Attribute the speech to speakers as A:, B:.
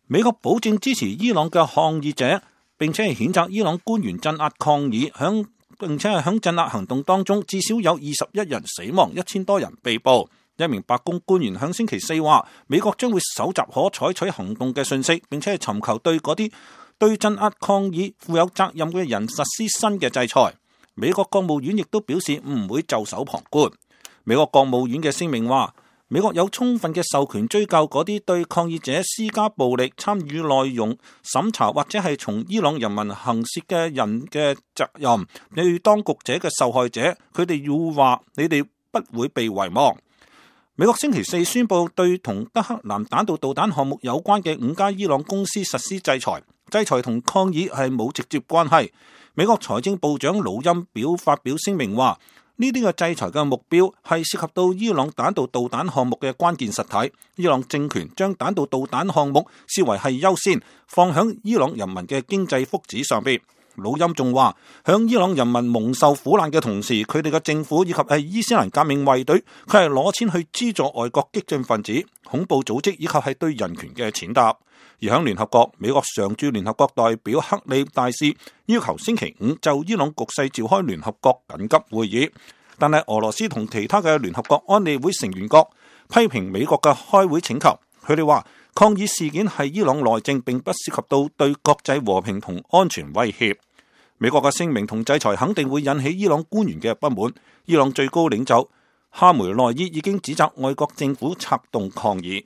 A: 美國保證支持伊朗嘅抗議者，並且係譴責伊朗官員鎮壓抗議，並且係響鎮壓行動當中至少有21人死亡，1000多人被捕。一名白宮官員響星期四話，美國將會搜集可採取行動嘅信息，並且係尋求對嗰啲對鎮壓抗議負有責任嘅人實施新嘅制裁。美國國務院亦都表示唔會袖手旁觀。美國國務院嘅聲明話，美國有充分嘅授權追究嗰啲對抗議者施加暴力、參與內容審查或者係從伊朗人民行竊嘅人嘅責任。對當局者嘅受害者，佢哋要話你哋不會被遺忘。美國星期四宣布對同德黑蘭彈道導彈項目有關嘅5家伊朗公司實施制裁，制裁同抗議係冇直接關係。美國財政部長魯欽發表聲明話，呢啲嘅制裁嘅目標係涉及到伊朗彈道導彈項目嘅關鍵實體。伊朗政權將彈道導彈項目視為係優先，放響伊朗人民嘅經濟福祉上邊。魯欽仲話，響伊朗人民蒙受苦難嘅同時，佢哋嘅政府以及係伊斯蘭革命衛隊，佢係攞錢去資助外國激進分子、恐怖組織以及係對人權嘅踐踏。而響聯合國，美國常駐聯合國代表克里大使要求星期五就伊朗局勢召開聯合國緊急會議，但係俄羅斯同其他嘅聯合國安理會成員國批評美國嘅開會請求。佢哋話，抗議事件係伊朗內政，並不涉及到對國際和平同安全威脅。美國嘅聲明同制裁肯定會引起伊朗官員嘅不滿。伊朗最高領袖哈梅內伊已經指責外國政府策動抗議。